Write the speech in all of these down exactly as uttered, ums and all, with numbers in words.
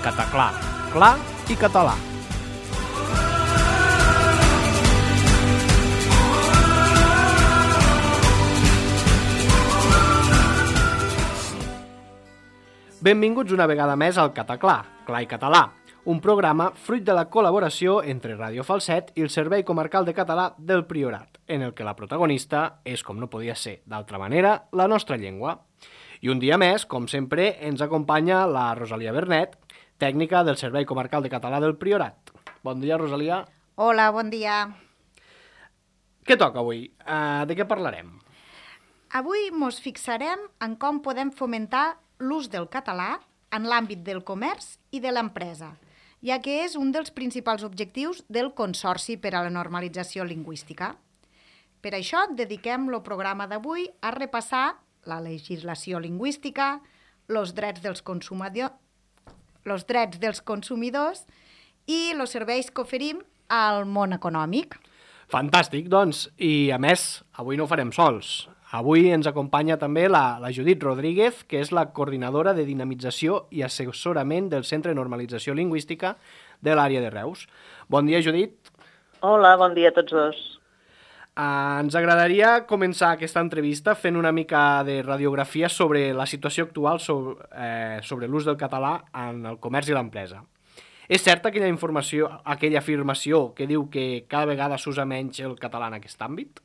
Cataclà, clar i català. Benvinguts una vegada més al Cataclà, clar i català, un programa fruit de la col·laboració entre Ràdio Falset i el Servei Comarcal de Català del Priorat, en el que la protagonista és, com no podia ser d'altra manera, la nostra llengua. I un dia més, com sempre, ens acompanya la Rosalia Bernet, tècnica del Servei Comarcal de Català del Priorat. Bon dia, Rosalia. Hola, bon dia. Què toca avui? Uh, de què parlarem? Avui mos fixarem en com podem fomentar l'ús del català en l'àmbit del comerç i de l'empresa, ja que és un dels principals objectius del Consorci per a la Normalització Lingüística. Per això dediquem el programa d'avui a repassar la legislació lingüística, els drets dels consumidors, els drets dels consumidors i els serveis que oferim al món econòmic. Fantàstic, doncs, i a més, avui no ho farem sols. Avui ens acompanya també la, la Judit Rodríguez, que és la coordinadora de dinamització i assessorament del Centre de Normalització Lingüística de l'àrea de Reus. Bon dia, Judit. Hola, bon dia a tots dos. Uh, ens agradaria començar aquesta entrevista fent una mica de radiografia sobre la situació actual sobre, eh, sobre l'ús del català en el comerç i l'empresa. És certa aquella informació, aquella afirmació que diu que cada vegada s'usa menys el català en aquest àmbit?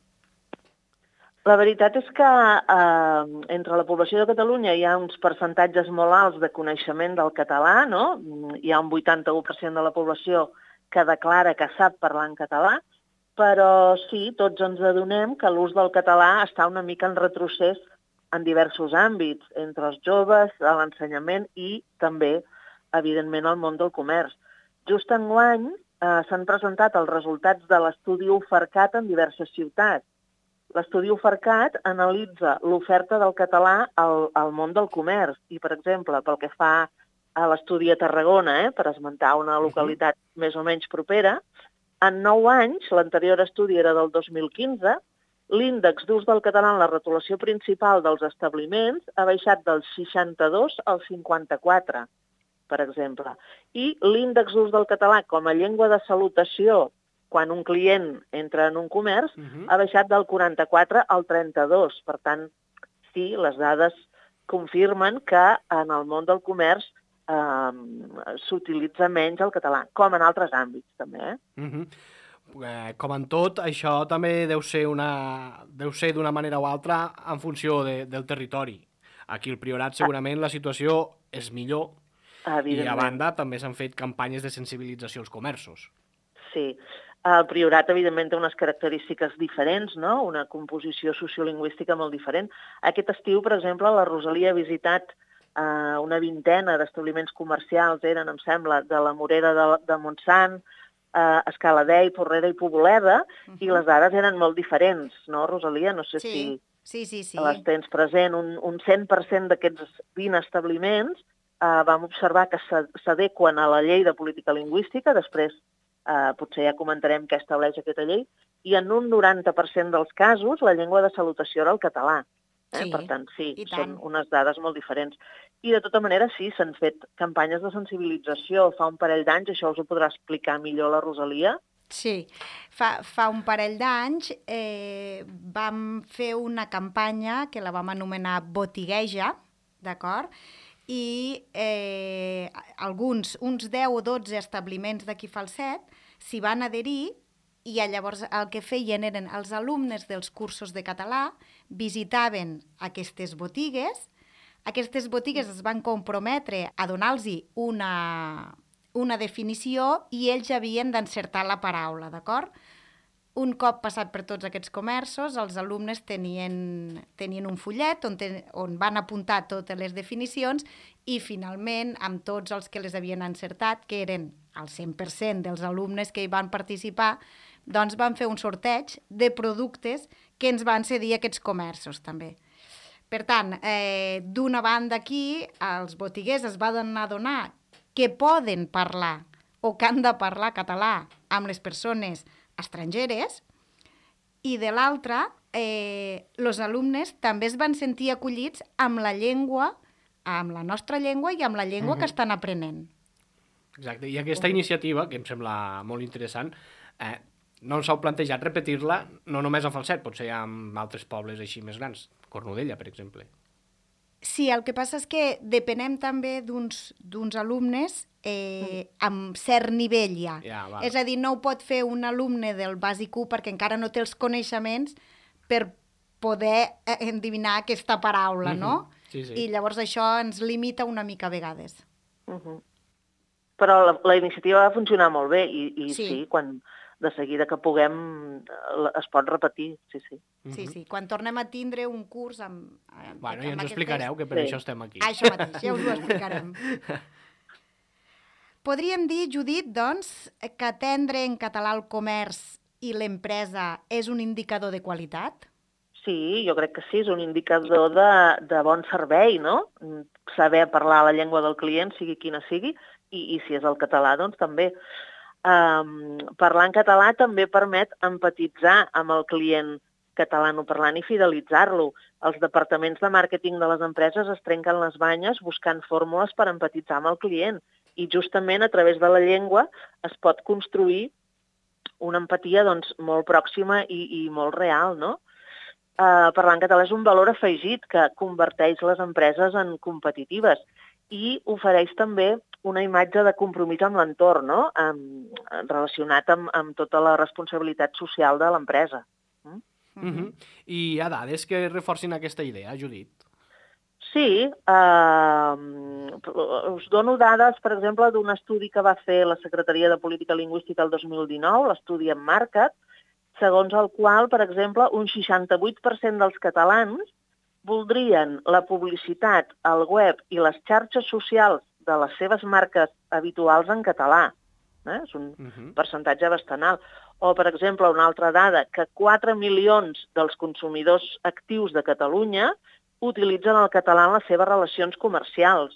La veritat és que eh, entre la població de Catalunya hi ha uns percentatges molt alts de coneixement del català, no? Hi ha un vuitanta-u per cent de la població que declara que sap parlar en català, però sí, tots ens adonem que l'ús del català està una mica en retrocés en diversos àmbits, entre els joves, a l'ensenyament i també, evidentment, al món del comerç. Just enguany eh, s'han presentat els resultats de l'estudi Ofercat en diverses ciutats. L'estudi Ofercat analitza l'oferta del català al, al món del comerç i, per exemple, pel que fa a l'estudi a Tarragona, eh, per esmentar una localitat uh-huh. més o menys propera, en nou anys, l'anterior estudi era del dos mil quinze, l'índex d'ús del català en la retolació principal dels establiments ha baixat del seixanta-dos al cinquanta-quatre, per exemple. I l'índex d'ús del català com a llengua de salutació quan un client entra en un comerç, uh-huh. ha baixat del quaranta-quatre al trenta-dos. Per tant, sí, les dades confirmen que en el món del comerç eh, s'utilitza menys el català, com en altres àmbits, també. Eh? Uh-huh. Eh, com en tot, això també deu ser una, deu ser d'una manera o altra en funció de, del territori. Aquí al Priorat segurament la situació és millor i a banda també s'han fet campanyes de sensibilització als comerços. Sí. El Priorat, evidentment, té unes característiques diferents, no? Una composició sociolingüística molt diferent. Aquest estiu, per exemple, la Rosalia ha visitat eh, una vintena d'establiments comercials, eren, em sembla, de la Morera de, de Montsant, eh, Escaladei, Porrera i Poboleda, uh-huh. i les dades eren molt diferents, no, Rosalia? No sé sí. si sí, sí, sí. les tens present. Un, un cent per cent d'aquests vint establiments eh, vam observar que s'adequen a la llei de política lingüística, després Uh, potser ja comentarem què estableix aquesta llei, i en un noranta per cent dels casos la llengua de salutació era el català. Eh? Sí, per tant, sí, són tant. unes dades molt diferents. I de tota manera, sí, s'han fet campanyes de sensibilització. Fa un parell d'anys, això us ho podrà explicar millor la Rosalia. Sí, fa, fa un parell d'anys eh, vam fer una campanya que la vam anomenar Botigueja, d'acord? I eh, alguns, uns deu o dotze establiments d'aquí Falset s'hi van adherir i llavors el que feien eren els alumnes dels cursos de català visitaven aquestes botigues, aquestes botigues es van comprometre a donar-los una, una definició i ells havien d'encertar la paraula, d'acord? Un cop passat per tots aquests comerços, els alumnes tenien, tenien un fullet on, ten, on van apuntar totes les definicions i finalment, amb tots els que les havien encertat, que eren el cent per cent dels alumnes que hi van participar, doncs van fer un sorteig de productes que ens van cedir aquests comerços també. Per tant, eh, d'una banda aquí, els botiguers es van adonar que poden parlar o que han de parlar català amb les persones estrangeres, i de l'altra, eh, els alumnes també es van sentir acollits amb la llengua, amb la nostra llengua i amb la llengua uh-huh. que estan aprenent. Exacte, i aquesta iniciativa, que em sembla molt interessant, eh, no ens heu plantejat repetir-la no només a Falset, potser amb altres pobles així més grans, Cornudella, per exemple. Sí, el que passa és que depenem també d'uns alumnes eh, amb cert nivell ja. Ja, val. És a dir, no ho pot fer un alumne del bàsic u perquè encara no té els coneixements per poder eh, endevinar aquesta paraula, no? Sí, sí. I llavors això ens limita una mica a vegades. Uh -huh. Però la, la iniciativa va funcionar molt bé i, i sí. Sí. sí, quan de seguida que puguem es pot repetir, sí, sí. Sí, sí. Quan tornem a tindre un curs amb... amb Bueno, amb ja ens ho aquestes- explicareu, que per Sí. això estem aquí. Això mateix, ja us ho explicarem. Podríem dir, Judit, doncs, que atendre en català el comerç i l'empresa és un indicador de qualitat? Sí, jo crec que sí, és un indicador de, de bon servei, no? Saber parlar la llengua del client, sigui quina sigui, i, i si és el català, doncs també. Um, parlar en català també permet empatitzar amb el client catalanoparlant i fidelitzar-lo. Els departaments de màrqueting de les empreses es trenquen les banyes buscant fórmules per empatitzar amb el client i justament a través de la llengua es pot construir una empatia doncs, molt pròxima i, i molt real, no? Uh, parlar en català és un valor afegit que converteix les empreses en competitives i ofereix també una imatge de compromís amb l'entorn, no? Um, relacionat amb, amb tota la responsabilitat social de l'empresa. Mm? Uh -huh. I hi ha dades que reforcin aquesta idea, Judit? Sí, uh, us dono dades, per exemple, d'un estudi que va fer la Secretaria de Política Lingüística el dos mil dinou, l'estudi Emmarca't, segons el qual, per exemple, un seixanta-vuit per cent dels catalans voldrien la publicitat al web i les xarxes socials de les seves marques habituals en català. Eh? És un uh -huh. percentatge bastant alt. O, per exemple, una altra dada, que quatre milions dels consumidors actius de Catalunya utilitzen el català en les seves relacions comercials.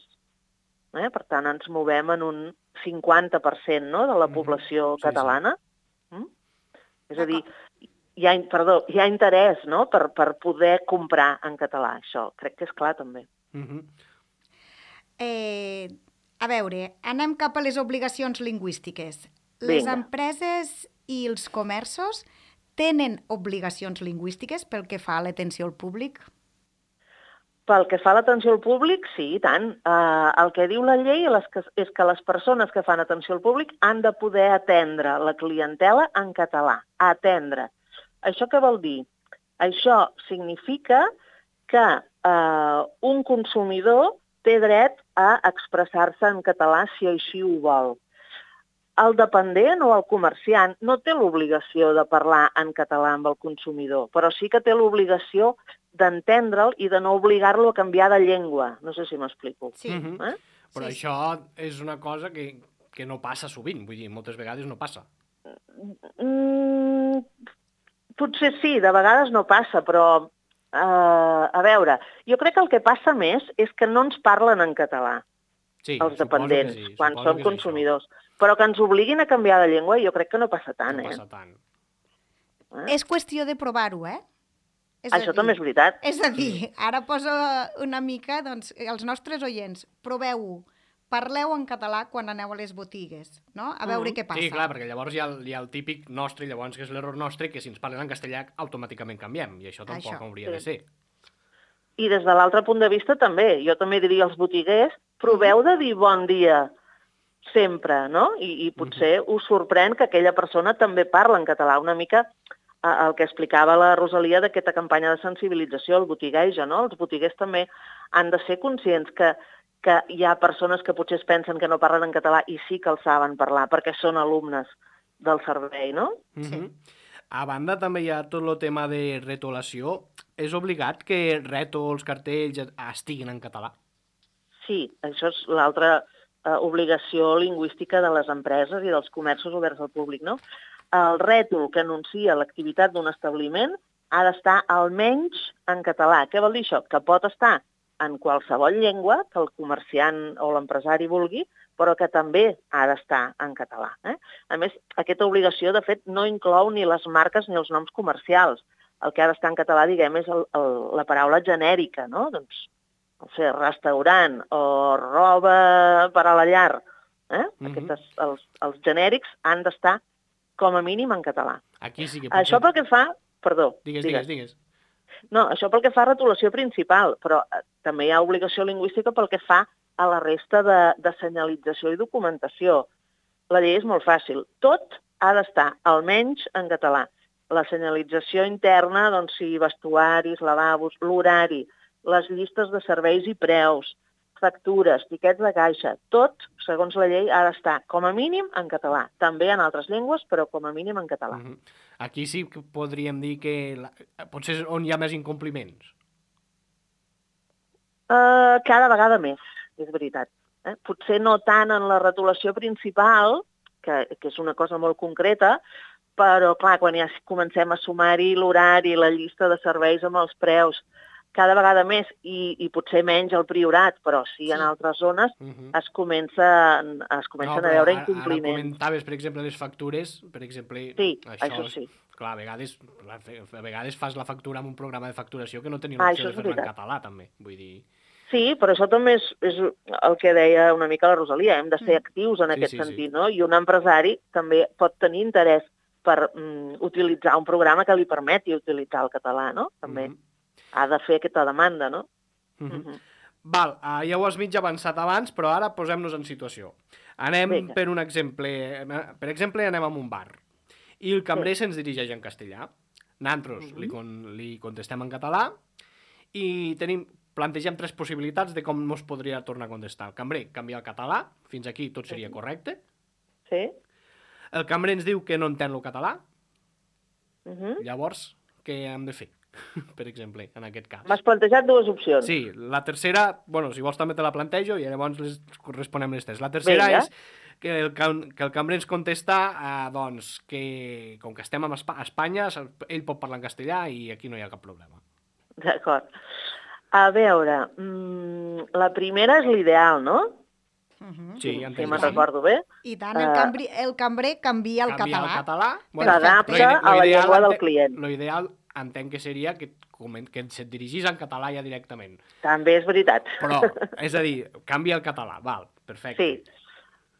Eh? Per tant, ens movem en un cinquanta per cent, no?, de la població sí, catalana. Sí. Mm? És a dir, hi ha, perdó, hi ha interès, no?, per, per poder comprar en català. Això crec que és clar, també. Uh -huh. Eh, a veure, anem cap a les obligacions lingüístiques. Les Vinga. empreses i els comerços tenen obligacions lingüístiques pel que fa a l'atenció al públic? Pel que fa a l'atenció al públic, sí, i tant. Uh, el que diu la llei és que, és que les persones que fan atenció al públic han de poder atendre la clientela en català. Atendre. Això què vol dir? Això significa que uh, un consumidor té dret a expressar-se en català si així ho vol. El dependent o el comerciant no té l'obligació de parlar en català amb el consumidor, però sí que té l'obligació d'entendre'l i de no obligar-lo a canviar de llengua. No sé si m'explico. Sí. Uh -huh. Eh? Però Sí, això és una cosa que, que no passa sovint, vull dir, moltes vegades no passa. Mm, potser sí, de vegades no passa, però uh, a veure, jo crec que el que passa més és que no ens parlen en català, Sí, els suposo dependents, que sí, quan suposo som que és consumidors. Però que ens obliguin a canviar de llengua, jo crec que no passa això. tant, No eh? passa tant. eh? És qüestió de provar-ho, eh? És a Això dir- també és veritat. És a dir, ara poso una mica, doncs, els nostres oients, proveu-ho, parleu en català quan aneu a les botigues, no? A veure Mm. què passa. Sí, clar, perquè llavors hi ha, el- hi ha el típic nostre, llavors que és l'error nostre, que si ens parlen en castellà automàticament canviem, i això tampoc Això, hauria sí. de ser. I des de l'altre punt de vista també, jo també diria als botiguers, proveu de dir bon dia sempre, no? I, i potser us sorprèn que aquella persona també parla en català, una mica eh, el que explicava la Rosalia d'aquesta campanya de sensibilització, el botigueja, no? Els botiguers també han de ser conscients que, que hi ha persones que potser es pensen que no parlen en català i sí que el saben parlar, perquè són alumnes del servei, no? Uh Sí. -huh. A banda, també hi ha tot el tema de retolació. És obligat que rètols, cartells estiguin en català? Sí, això és l'altra eh, obligació lingüística de les empreses i dels comerços oberts al públic, no? El rètol que anuncia l'activitat d'un establiment ha d'estar almenys en català. Què vol dir això? Que pot estar en qualsevol llengua que el comerciant o l'empresari vulgui, però que també ha d'estar en català. Eh? A més, aquesta obligació, de fet, no inclou ni les marques ni els noms comercials. El que ha d'estar en català, diguem, és el, el, la paraula genèrica, no? Doncs, no sé, restaurant o roba per a la llar Eh? Mhm. Aquestes, els, els genèrics han d'estar com a mínim en català. Aquí sí que potser... Això pel que fa... Perdó. Digues, digues, digues. No, això pel que fa a retolació principal, però eh, també hi ha obligació lingüística pel que fa a la resta de, de senyalització i documentació. La llei és molt fàcil. Tot ha d'estar almenys en català. La senyalització interna, doncs, si vestuaris, lavabos, l'horari, les llistes de serveis i preus, factures, tiquets de caixa, tot, segons la llei, ha d'estar com a mínim en català. També en altres llengües, però com a mínim en català. Mhm. Aquí sí que podríem dir que la... potser és on hi ha més incompliments. Uh, cada vegada més, és veritat. Eh? Potser no tant en la retolació principal, que, que és una cosa molt concreta, però, clar, quan ja comencem a sumar-hi l'horari, la llista de serveis amb els preus, cada vegada més, i, i potser menys al Priorat, però sí, sí. en altres zones, uh -huh. es, comença, es comencen no, a veure ara, incompliments. Ara comentaves, per exemple, les factures, per exemple... Sí, això, això sí. Clar, a vegades, a vegades fas la factura amb un programa de facturació que no tenia l'opció ah, de fer-la en català, també. Vull dir... Sí, però això també és, és el que deia una mica la Rosalia, hem de ser actius en sí, aquest sí, sentit, sí. no? I un empresari també pot tenir interès per mm, utilitzar un programa que li permeti utilitzar el català, no? També mm -hmm. ha de fer aquesta demanda, no? Mm -hmm. Mm -hmm. Val, uh, ja ho has mig avançat abans, però ara posem-nos en situació. Anem Vinga. per un exemple, per exemple, anem a un bar i el cambrer sí. se'ns dirigeix en castellà. Nosaltres mm -hmm. li, con li contestem en català i tenim... plantegem tres possibilitats de com ens podria tornar a contestar. El cambrer canvia el català, fins aquí tot seria correcte. Sí. El cambrer ens diu que no entén el català. Uh -huh. Llavors, què hem de fer, per exemple, en aquest cas? M'has plantejat dues opcions. Sí, la tercera, bueno, si vols també te la plantejo i llavors les responem les tres. La tercera Vinga. és que el, que el cambrer ens contesta eh, doncs, que com que estem a Espanya, ell pot parlar en castellà i aquí no hi ha cap problema. D'acord. A veure, mmm, la primera és l'ideal, no? Uh-huh. Sí, si si me'n recordo bé. I tant, el, cambri, el cambrer canvia el canvia català. el català. Bueno, s'adapta a la llengua del client. L'ideal entenc que seria que, que se't dirigís en català ja directament. També és veritat. Però, és a dir, canvia el català, val, perfecte. Sí.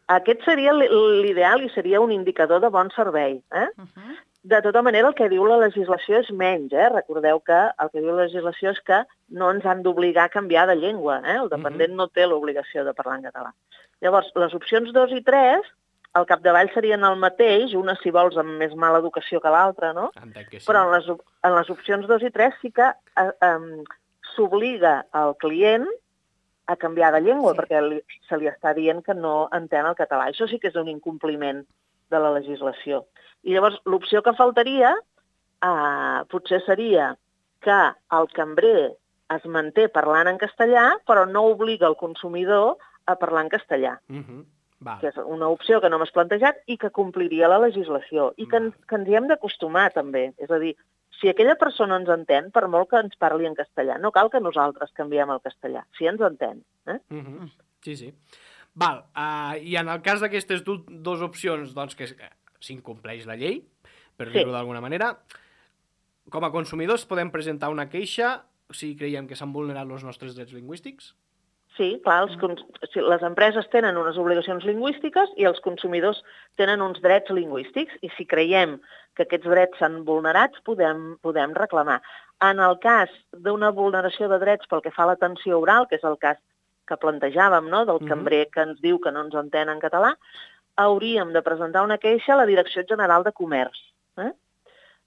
Aquest seria l'ideal i seria un indicador de bon servei, eh? Uh-huh. De tota manera, el que diu la legislació és menys, eh? Recordeu que el que diu la legislació és que no ens han d'obligar a canviar de llengua, eh? El dependent uh-huh. no té l'obligació de parlar en català. Llavors, les opcions dos i tres, al capdavall serien el mateix, una, si vols, amb més mala educació que l'altra, no? Entenc que sí. Però en les, en les opcions dos i tres sí que eh, eh, s'obliga al client a canviar de llengua, sí. perquè li, se li està dient que no entén el català. Això sí que és un incompliment de la legislació. I llavors l'opció que faltaria eh, potser seria que el cambrer es manté parlant en castellà, però no obliga el consumidor a parlar en castellà. Uh-huh. Val. Que és una opció que no m'has plantejat i que compliria la legislació. I que, en, que ens hi hem d'acostumar, també. És a dir, si aquella persona ens entén, per molt que ens parli en castellà, no cal que nosaltres canviem el castellà, si ens entén. Eh? Uh-huh. Sí, sí. Val, uh, i en el cas d'aquestes dues opcions, doncs, que s'incompleix la llei, per sí. dir-ho d'alguna manera, com a consumidors podem presentar una queixa si creiem que s'han vulnerat els nostres drets lingüístics? Sí, clar, els, les empreses tenen unes obligacions lingüístiques i els consumidors tenen uns drets lingüístics, i si creiem que aquests drets s'han vulnerat, podem, podem reclamar. En el cas d'una vulneració de drets pel que fa a l'atenció oral, que és el cas que plantejàvem, no?, del cambrer que ens diu que no ens entén en català, hauríem de presentar una queixa a la Direcció General de Comerç, eh?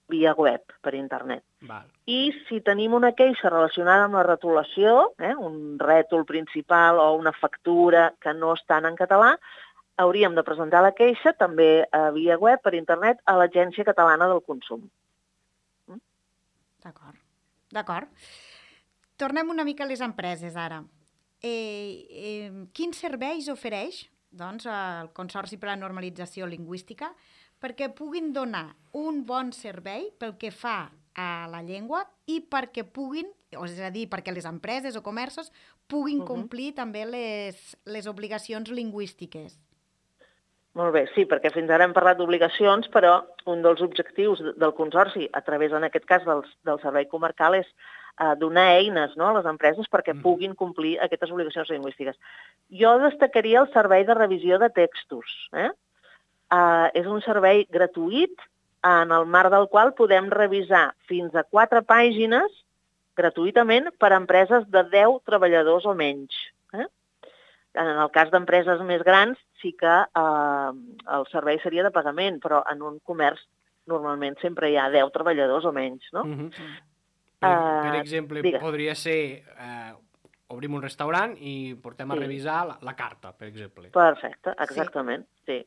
via web, per internet. Val. I si tenim una queixa relacionada amb la retolació, eh, un rètol principal o una factura que no estan en català, hauríem de presentar la queixa també a via web, per internet, a l'Agència Catalana del Consum. Mm? D'acord. D'acord. Tornem una mica a les empreses, ara. Eh, eh, quins serveis ofereix doncs, el Consorci per a la Normalització Lingüística perquè puguin donar un bon servei pel que fa a la llengua i perquè puguin, és a dir, perquè les empreses o comerços puguin uh-huh. complir també les, les obligacions lingüístiques? Molt bé, sí, perquè fins ara hem parlat d'obligacions, però un dels objectius del Consorci, a través, en aquest cas, del, del Servei Comarcal, és uh, donar eines, no?, a les empreses perquè puguin complir aquestes obligacions lingüístiques. Jo destacaria el servei de revisió de textos. Eh? Uh, és un servei gratuït en el marc del qual podem revisar fins a quatre pàgines gratuïtament per a empreses de deu treballadors o menys. Eh? En el cas d'empreses més grans sí que eh, el servei seria de pagament, però en un comerç normalment sempre hi ha deu treballadors o menys. No? Uh -huh. per, uh, per exemple, digues. podria ser... Eh, obrim un restaurant i portem a Sí. revisar la, la carta, per exemple. Perfecte, exactament, sí. sí.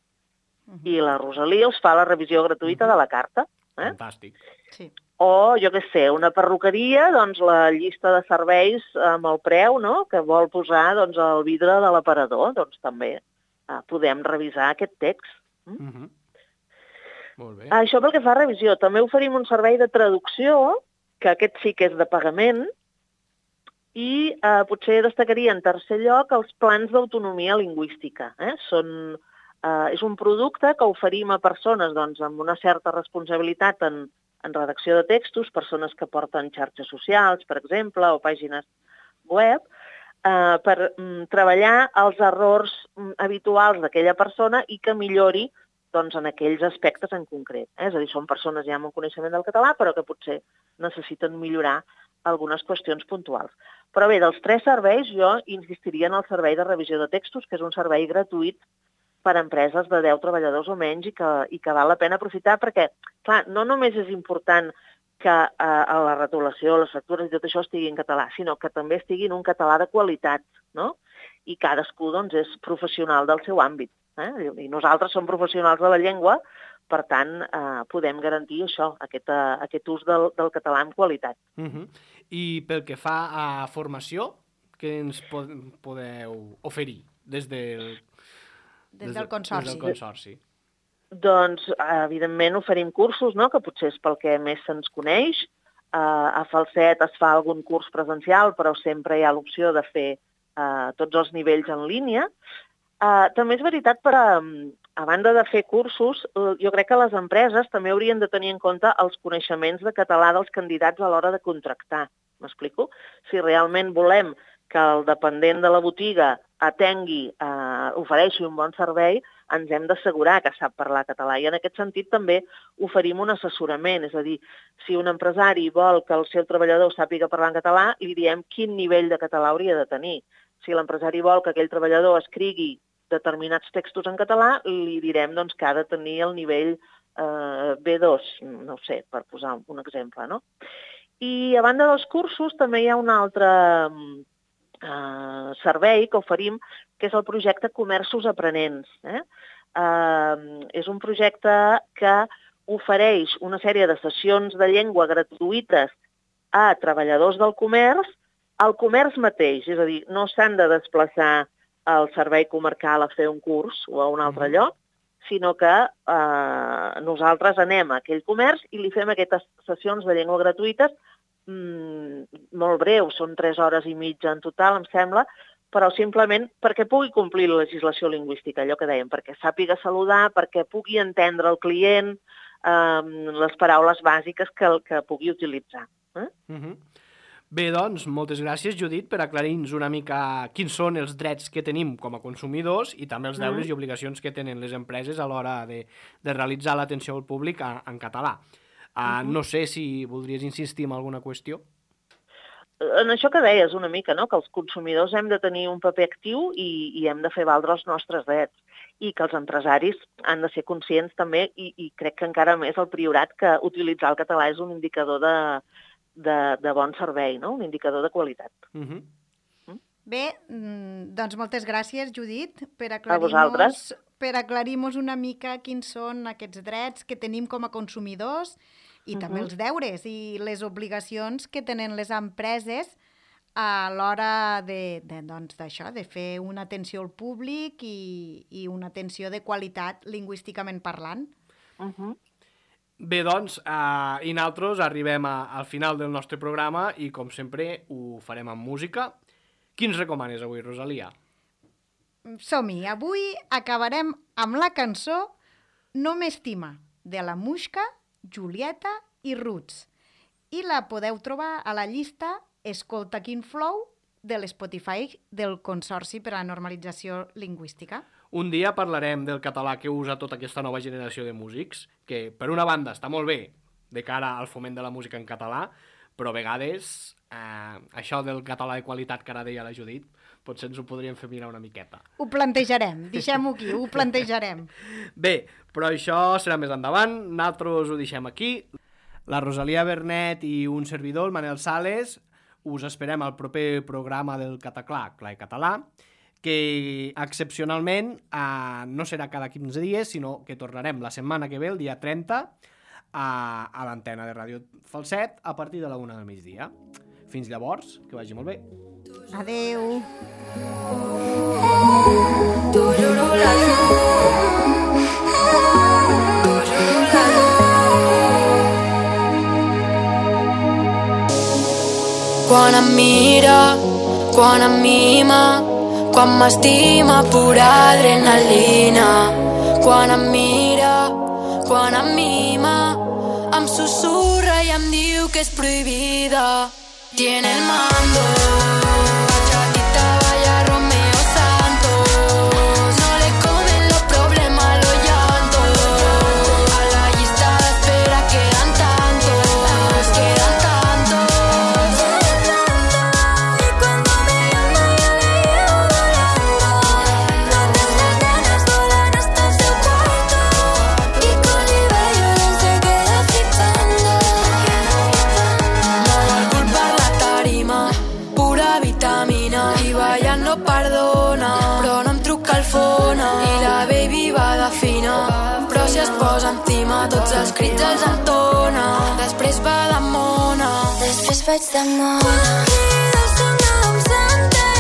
Uh-huh. I la Rosalia us fa la revisió gratuïta Uh-huh. de la carta. Eh? Fantàstic. Sí. O, jo què sé, una perruqueria, doncs la llista de serveis amb el preu, no?, que vol posar doncs, el vidre de l'aparador, doncs també eh, podem revisar aquest text. Mm? Uh -huh. Molt bé. Això pel que fa a revisió. També oferim un servei de traducció, que aquest sí que és de pagament, i eh, potser destacaria en tercer lloc els plans d'autonomia lingüística. Eh? Són, eh, és un producte que oferim a persones doncs, amb una certa responsabilitat en, en redacció de textos, persones que porten xarxes socials, per exemple, o pàgines web, eh, per mm, treballar els errors mm, habituals d'aquella persona i que millori doncs, en aquells aspectes en concret. Eh? És a dir, són persones ja amb un coneixement del català, però que potser necessiten millorar algunes qüestions puntuals. Però bé, dels tres serveis, jo insistiria en el servei de revisió de textos, que és un servei gratuït per a empreses de deu treballadors o menys i que, i que val la pena aprofitar perquè, clar, no només és important que eh, la retolació, les factures i tot això estigui en català, sinó que també estigui en un català de qualitat, no? I cadascú doncs, és professional del seu àmbit. Eh? I nosaltres som professionals de la llengua, per tant, eh, podem garantir això, aquest, uh, aquest ús del, del català amb qualitat. Uh -huh. I pel que fa a formació, què ens pod podeu oferir des del, Des del consorci. Des del consorci? Doncs, evidentment, oferim cursos, no?, que potser és pel que més se'ns coneix. Uh, a Falset es fa algun curs presencial, però sempre hi ha l'opció de fer uh, tots els nivells en línia. Uh, també és veritat, per a, a banda de fer cursos, jo crec que les empreses també haurien de tenir en compte els coneixements de català dels candidats a l'hora de contractar. M'explico? Si realment volem que el dependent de la botiga atengui, eh, ofereixi un bon servei, ens hem d'assegurar que sap parlar català. I en aquest sentit també oferim un assessorament. És a dir, si un empresari vol que el seu treballador sàpiga parlar en català, li diem quin nivell de català hauria de tenir. Si l'empresari vol que aquell treballador escrigui determinats textos en català, li direm doncs, que ha de tenir el nivell eh, B dos, no ho sé, per posar un exemple, no? I a banda dels cursos també hi ha un altre eh, servei que oferim, que és el projecte Comerços Aprenents. Eh? Eh, és un projecte que ofereix una sèrie de sessions de llengua gratuïtes a treballadors del comerç, al comerç mateix, és a dir, no s'han de desplaçar al servei comarcal a fer un curs o a un altre lloc, sinó que eh, nosaltres anem a aquell comerç i li fem aquestes sessions de llengua gratuïtes mmm, molt breus, són tres hores i mitja en total, em sembla, però simplement perquè pugui complir la legislació lingüística, allò que dèiem, perquè sàpiga saludar, perquè pugui entendre el client, eh, les paraules bàsiques que, que pugui utilitzar. Eh? Uh-huh. Bé, doncs, moltes gràcies, Judit, per aclarir-nos una mica quins són els drets que tenim com a consumidors i també els deures mm. i obligacions que tenen les empreses a l'hora de, de realitzar l'atenció al públic a, en català. Uh, uh-huh. No sé si voldries insistir en alguna qüestió. En això que deies una mica, no? Que els consumidors hem de tenir un paper actiu i, i hem de fer valdre els nostres drets i que els empresaris han de ser conscients també i, i crec que encara més el Priorat que utilitzar el català és un indicador de De, de bon servei, no? Un indicador de qualitat. Uh-huh. Mm? Bé, doncs moltes gràcies, Judit, per aclarir-nos per aclarir-nos una mica quins són aquests drets que tenim com a consumidors i uh-huh. també els deures i les obligacions que tenen les empreses a l'hora de, de, doncs, d'això, de fer una atenció al públic i, i una atenció de qualitat lingüísticament parlant. Uh-huh. Bé, doncs, eh, i nosaltres arribem a, al final del nostre programa i, com sempre, ho farem amb música. Qui ens recomanes avui, Rosalia? Som-hi. Avui acabarem amb la cançó No m'estima, de la Muixca, Julieta i Roots. i la podeu trobar a la llista Escolta quin flow de l'Spotify del Consorci per a la Normalització Lingüística. Un dia parlarem del català que usa tota aquesta nova generació de músics, que per una banda està molt bé de cara al foment de la música en català, però a vegades eh, això del català de qualitat que ara deia la Judit, potser ens ho podríem fer mirar una miqueta. Ho plantejarem, deixem-ho aquí, ho plantejarem. Bé, però això serà més endavant, nosaltres ho deixem aquí. La Rosalia Bernet i un servidor, el Manel Sales, us esperem al proper programa del Cataclà, Clar i Català, que excepcionalment eh, no serà cada quinze dies, sinó que tornarem la setmana que ve, el dia trenta, a, a l'antena de Ràdio Falset, a partir de la una del migdia. Fins llavors, que vagi molt bé. Adeu. Quan em mira, quan em mima, quan m'estima pura adrenalina. Quan em mira, quan em mima, em susurra i em diu que és prohibida. Tiene el mando, chatita vaya Romeo Santos, no le comen los problemas, los llantos. A la lista de espera quedan tantos, quedan tantos. Y cuando me llama yo le llevo volando, donde las nenas volan hasta su cuarto, y con el bello se queda flipando. No vol culpar la tarima, pura vitamina, i ballant no perdona, però no em truca el fona, i la baby va de fina, però si es posa encima tots els crits els entona, després va de mona, després vaig de mona. Quan crida sona em senteix.